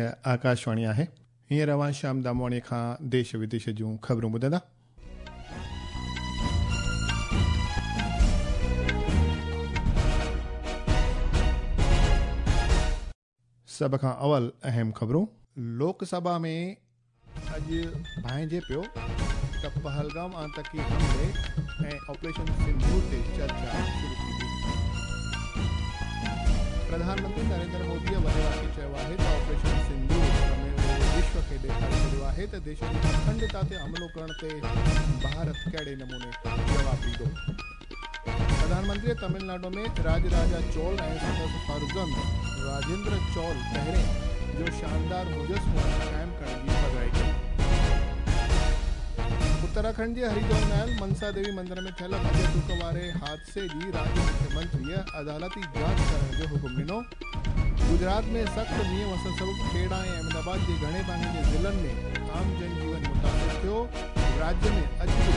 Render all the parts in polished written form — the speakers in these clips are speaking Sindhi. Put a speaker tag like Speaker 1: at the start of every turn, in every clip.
Speaker 1: هيء آڪاشواڻي آهي. هينئر اوهان شيام دامواڻيء کان ديش وديش جون خبرون ٻڌندا. سڀ کان اول اهم خبرون. لوڪ سڀا ۾ اڄ ڀانئجي پيو ته پهلگام آتنڪي حملي ۽ آپريشن سنڌور تي چرچا شروع ٿيندي. پرڌان منتري نريندر موديء وڏي واڪي چيو آهي ته آپريشن سنڌور سموري وشو کي ڏيکاري ڇڏيو آهي ته ديش جي اکنڊتا تي حملو ڪرڻ تي ڀارت ڪهڙي نموني جواب ڏيندو. پرڌان منتريء تامل ناڊو ۾ راڄ راجا چول ۽ سندس فرزند راجيندر چول پهرين جو شاندار مجسمو قائم ڪرڻ جي پڌرائي ڪئي. اتراکنڊ جي هريدوار ۾ آيل منسا ديوي مندر ۾ ٿيل ڀڄ ڊڪ واري حادثي جي راڄ مکيه منتريء عدالتي جاچ ڪرڻ جو حڪم ڏنو. گجرات ۾ سخت مينهن وسڻ سبب کيڙا ۽ احمد آباد جي گهڻي ڀاڱي جي ضلعن ۾ عام جن جيون متاثر ٿيو. راڄ ۾ اڄ به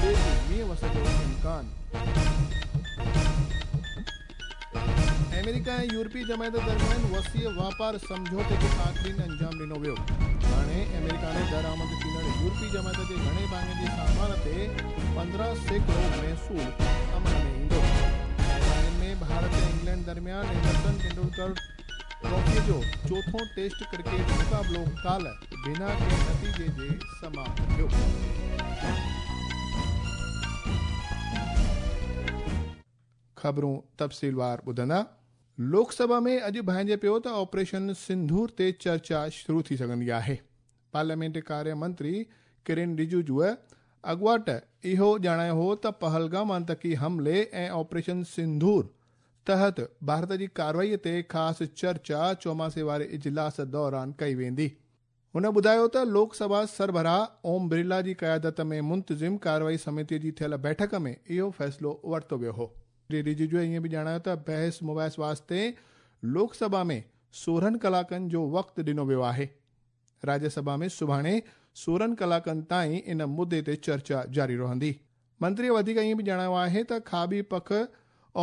Speaker 1: تيز مينهن وسڻ جو امڪان. آمريڪا ۽ يورپي جماعت درميان وسيع واپار سمجهوتي کي آخرين انجام ڏنو ويو. هاڻي آمريڪا ۾ درآمد ٿيندڙ يورپي جماعت جي گهڻي ڀاڱي جي سامان تي 15% محصول عمل ۾ ايندو. راندين ۾ ڀارت ۽ انگلينڊ درميان اينڊرسن ٽنڊولڪر ٽرافيء جو چوٿون ٽيسٽ ڪرڪيٽ مقابلو ڪالهه بنا ڪنهن نتيجي جي سماپت ٿيو. خبرون تفصيلوار ٻڌندا. لوڪ سڀا ۾ اڄ ڀانئجي پيو ته آپريشن سنڌور تي چرچا شروع ٿي سگهندي آهي. پارليامينٽ ڪاريه منتري ڪرين رجيجوء اڳواٽ اهو ڄاڻايو هو ته پهلگام آتنڪي حملي ۽ آپريشن سنڌور تحت ڀارت جي ڪارروائي تي خاص چرچا چوماسي واري اجلاس دوران ڪئي ويندي. هن ٻڌايو ته لوڪ سڀا سربراهه اوم برلا جي قيادت ۾ منتظم ڪارروائي سميتي جي ٿيل بيٺڪ ۾ اهو فيصلو ورتو ويو هو. رجيجوء ائين به ڄاڻايو ته بحث مباحث واسطي لوڪ سڀا ۾ 16 ڪلاڪن جو وقت ڏنو ويو آهي. راجيه سڀا ۾ سڀاڻي 16 ڪلاڪن تائين ان مدي تي چرچا جاري رهندي. منتريء وڌيڪ ائين به ڄاڻايو آهي ته کاٻي پک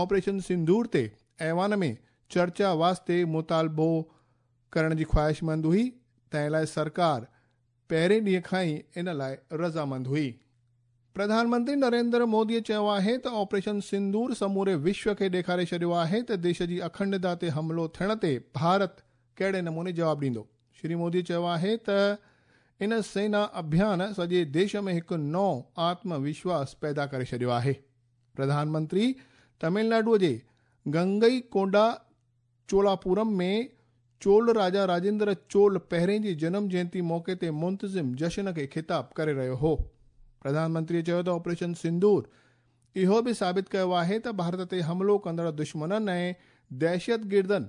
Speaker 1: آپريشن سنڌور تي ايوان ۾ چرچا واسطي مطالبو ڪرڻ جي خواهشمند هئي، تنهن لاء سرڪار پهرين ڏينهن کان ئي ان لاء رضامند هئي. پرڌان منتري نريندر موديء چيو آهي ته آپريشن سندور سموري وشو کي ڏيکاري ڇڏيو آهي ته ديش جي اکنڊتا تي حملو ٿيڻ تي ڀارت ڪهڙي نموني جواب ڏيندو. شري مودي چيو آهي ته ان سينا اڀيان سڄي ديش ۾ هڪ نئون آتم وشواس پيدا ڪري ڇڏيو آهي. پرڌان منتري تمل ناڊوء جي گنگئي ڪونڊا چولاپورم ۾ چول راجا راجيندر چول پهرين جي جنم جينتي موقعي تي منتظم جشن کي خطاب ڪري رهيو هو. پرڌان منتري چيو ته آپريشن سندور اهو به ثابت ڪيو آهي ته ڀارت تي حملو ڪندڙ دشمنن ۽ دهشتگردن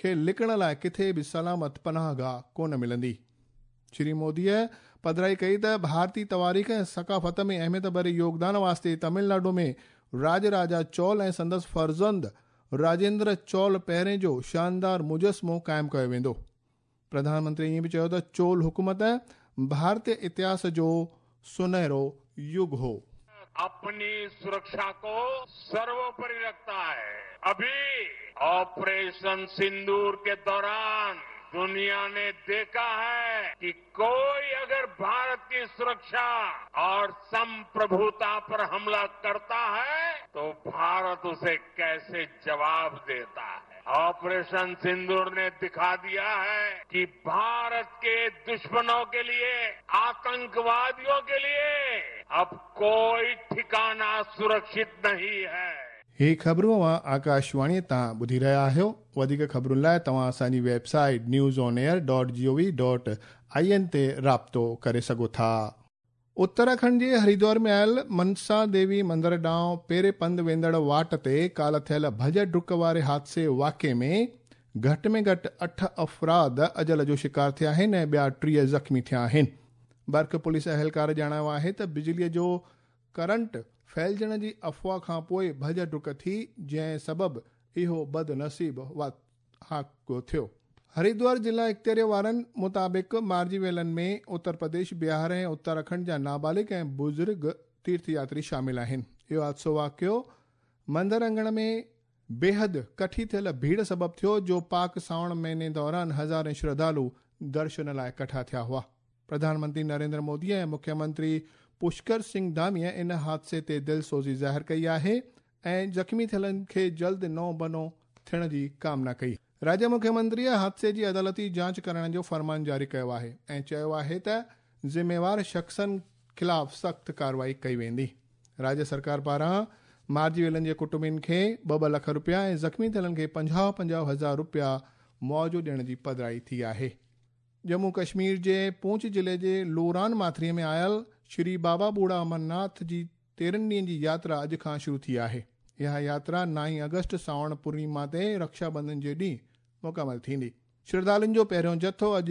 Speaker 1: کي لڪڻ لاء ڪٿي به سلامت پناهگاهه ڪونه ملندي. شري موديء پڌرائي ڪئي ته ڀارتي تواريخ ۽ ثقافت ۾ اهميت ڀري يوگدان واسطي تامل ناڊو ۾ راڄ راجا چول ۽ سندس فرزند راجيندر چول پهرين جو شاندار مجسمو قائم ڪيو ويندو. پرڌان منتري ائين به چيو ته چول حڪومت ڀارتي اتهاس جو سنهرو يگ هو.
Speaker 2: اپني سرڪشا ڪو سرووپري رکتا هي. اڀي آپريشن سندور ڪي دوران دنيا ني ديکا هي ڪي ڪوئي اگر ڀارت ڪي سرڪشا اور سمپرڀوتا پر حملا ڪرتا هي تو ڀارت اسي ڪيسي جواب ديتا هي. آپريشن سندور ني دکا ديا هي ڪي ڀارت ڪي دشمنون ڪي ليي آتنڪواديون ڪي ليي اب ڪوئي ٺڪانا سرڪشت نهين هي.
Speaker 1: هي خبرون اوهان آڪاشواڻيء تان ٻڌي رهيا آهيو. وڌيڪ خبرن لاء توهان اسان جي website news on air dot G O V dot I N تي رابطو ڪري سگهو ٿا. اتراکنڊ جي هريدوار ۾ آيل منسا ديوي مندر ڏانهن پيري پنڌ ويندڙ واٽ تي ڪالهه ٿيل ڀڄ ڊڪ واري حادثي واقعي ۾ گهٽ ۾ گهٽ اٺ افراد اجل جو شڪار ٿيا آهن ۽ ٻيا 30 زخمي ٿيا آهن. برک پوليس اهلڪار ڄاڻايو آهي ته بجليء جو ڪرنٽ ڦهلجڻ جي افواهه کان پوء ڀڄ ڊڪ ٿي، جنهن سبب اهو بدنصيب واقعو ٿيو. هريدوار ضلع اختياري وارن مطابق مارجي ويلن ۾ اتر پرديش، بهار ۽ اتراکنڊ جا نابالغ ۽ بزرگ تيرٿ ياتري شامل آهن. اهو حادثو واقعو مندر اڱڻ ۾ بيحد ڪٺي ٿيل ڀيڙ سبب ٿيو، جو پاڪ سانوڻ مهيني دوران هزارين شرڌالو درشن لاءِ ڪٺا ٿيا هئا. پرڌان منتري نريندر مودي ۽ مکيه منتري پشڪر سنگهه ڌاميء ان حادثي تي دلسوزي ظاهر ڪئي آهي ۽ زخمي ٿيلن کي جلد نئون بنو ٿيڻ جي ڪامنا ڪئي. راجيه مکيه منتريء حادثي جي عدالتي جاچ ڪرائڻ جو فرمان جاري ڪيو آهي ۽ چيو آهي ته ذميوار شخصن خلاف سخت ڪارروائي ڪئي ويندي. راجيه سرڪار پاران مارجي ويلن جي ڪٽنبن کي ٻه ٻه لک رپيا ۽ زخمي ٿيلن کي 50 50 هزار رپيا معاوضو ڏيڻ جي پڌرائي ٿي آهي. ڄمون ڪشمير جي پونڇ ضلعي جي لوران ماٿريء ۾ آيل شري بابا بوڙها امرناٿ جي 13 ڏينهن جي ياترا اڄ کان شروع ٿي آهي. اها ياترا 9 آگسٽ سانوڻ پورنيما تي رڪشا بنڌن جي ڏينهن مڪمل ٿيندي. شرڌالن جو پهريون جٿو اڄ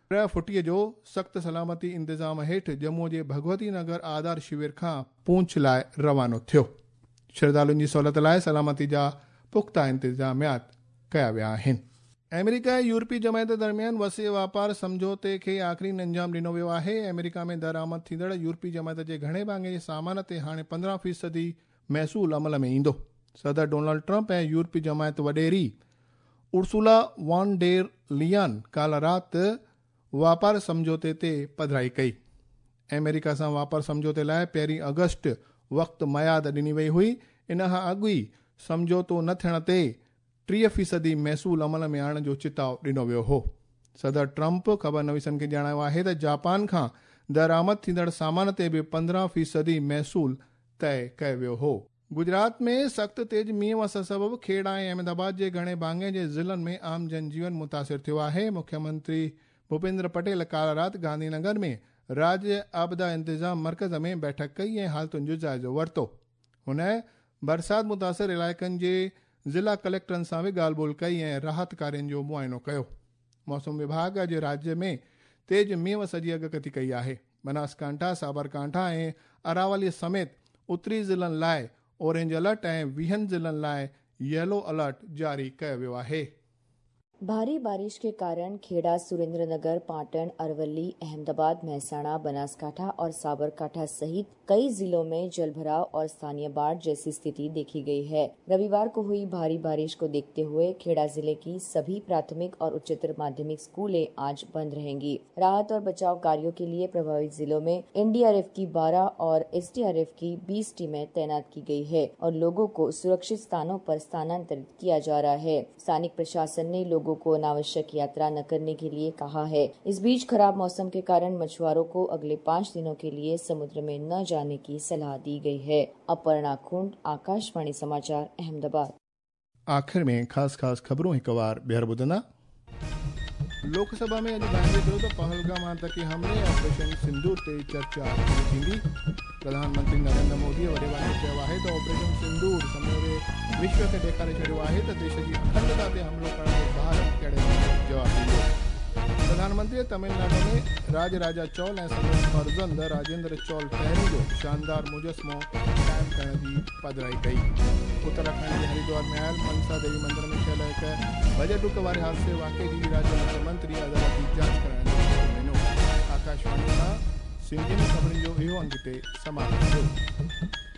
Speaker 1: پرهه ڦٽيء جو سخت سلامتي انتظام هيٺ ڄمون جي ڀڳوتي نگر آڌار شور کان پونڇ لاء روانو ٿيو. شرڌالن جي سهولت لاء سلامتي جا پختا انتظاميات ڪيا ويا آهن. آمريڪا ۽ يورپي جماعت درميان وسيع واپار سمجهوتي کي آخرين انجام ڏنو ويو آهي. آمريڪا ۾ درآمد ٿيندڙ يورپي جماعت جي گهڻي ڀاڱي جي سامان تي هاڻي 15 فيصدي محصول عمل ۾ ايندو. صدر ڊونلڊ ٽرمپ ۽ يورپي جماعت وڏيري ارسولا وان ڊير ليان ڪالهه رات واپار سمجهوتي تي پڌرائي ڪئي. آمريڪا سان واپار سمجهوتي لاءِ 1 آگسٽ وقت ميعاد ڏني وئي هئي. ان کان اڳ ئي سمجهوتو نه ٿيڻ تي 30 فيصدي محصول عمل ۾ آڻڻ جو چتاءُ ڏنو ويو هو. صدر ٽرمپ خبر نويسن کي ڄاڻايو آهي ته جاپان کان درآمد ٿيندڙ سامان تي به 15 فيصدي محصول طئي ڪيو ويو هو. گجرات ۾ سخت تيز مينهن وسڻ سبب کيڙا ۽ احمد آباد جي گهڻي ڀاڱي جي ضلعن ۾ عام جن جيون متاثر ٿيو آهي. مکيه منتري ڀوپيندر پٽيل ڪالهه رات گانڌي نگر ۾ راجيه آپدا انتظام مرڪز ۾ بيٺڪ ڪئي ۽ حالتن جو جائزو ورتو. هن برسات متاثر علائقن جي ضلع ڪليڪٽرن سان به ڳالهه ٻولهه ڪئي ۽ راحت ڪارين جو معائنو ڪيو. موسم وڀاڳ اڄ راجيه ۾ تيز مينهن وس جي اڳڪٿي ڪئي آهي. بناسڪانٺا، سابرڪانٺا ۽ اراولي سميت اتري ضلعن لاءِ اورينج الرٽ ۽ 20 ضلعن لاءِ ييلو الرٽ جاري ڪيو ويو آهي.
Speaker 3: भारी बारिश के कारण खेड़ा, सुरेंद्रनगर, पाटन, अरवली, अहमदाबाद, मेहसाणा, बनासकांठा और साबरकांठा सहित कई जिलों में जलभराव और स्थानीय बाढ़ जैसी स्थिति देखी गई है। रविवार को हुई भारी बारिश को देखते हुए खेड़ा जिले की सभी प्राथमिक और उच्चतर माध्यमिक स्कूलें आज बंद रहेंगी। राहत और बचाव कार्यों के लिए प्रभावित जिलों में एनडीआरएफ की 12 और एसडीआरएफ की 20 टीमें तैनात की गई है और लोगों को सुरक्षित स्थानों पर स्थानांतरित किया जा रहा है। स्थानिक प्रशासन ने लोगों को अनावश्यक यात्रा न करने के लिए कहा है। इस बीच खराब मौसम के कारण मछुआरों को अगले 5 दिनों के लिए समुद्र में न जाने की सलाह दी गई है। अपर्णा खुंड, आकाशवाणी समाचार, अहमदाबाद।
Speaker 1: आख़िर में ख़ासि ख़ासि ख़बरूं हिकु वार ॿीहर ॿुधंदा। लोकसभा में अॼु ॻाल्हाईंदे चयो त पहलगाम आतंकी हमले ऐं ऑपरेशन सिंदूर ते चर्चा शुरू थींदी। प्रधानमंत्री नरेंद्र मोदीअ वॾे वाके चयो आहे त ऑपरेशन सिंदूर समूरे विश्व खे ॾेखारे छॾियो आहे त देश जी अखंडता ते हमलो करण जो भारत कहिड़े नमूने जवाबु ॾींदो। प्रधानमंत्री तमिलनाडु में राज राजा चौल ऐं संदसि फर्ज़ंद राजेंद्र चौल पहिरीं जो शानदार मुजस्मो क़ाइमु करण जी पधराई कई। उत्तराखंड जे हरिद्वार में आयल मनसा देवी मंदिर में थियल हिकु भॼ डुक वारे हादसे वाक़िए जी राज्य मुख्यमंत्री अदालती जांच कराइण जो हुकुम ॾिनो। आकाशवाणी सां सिंधी में ख़बरुनि जो इहो अंग हिते समाप्त थियो।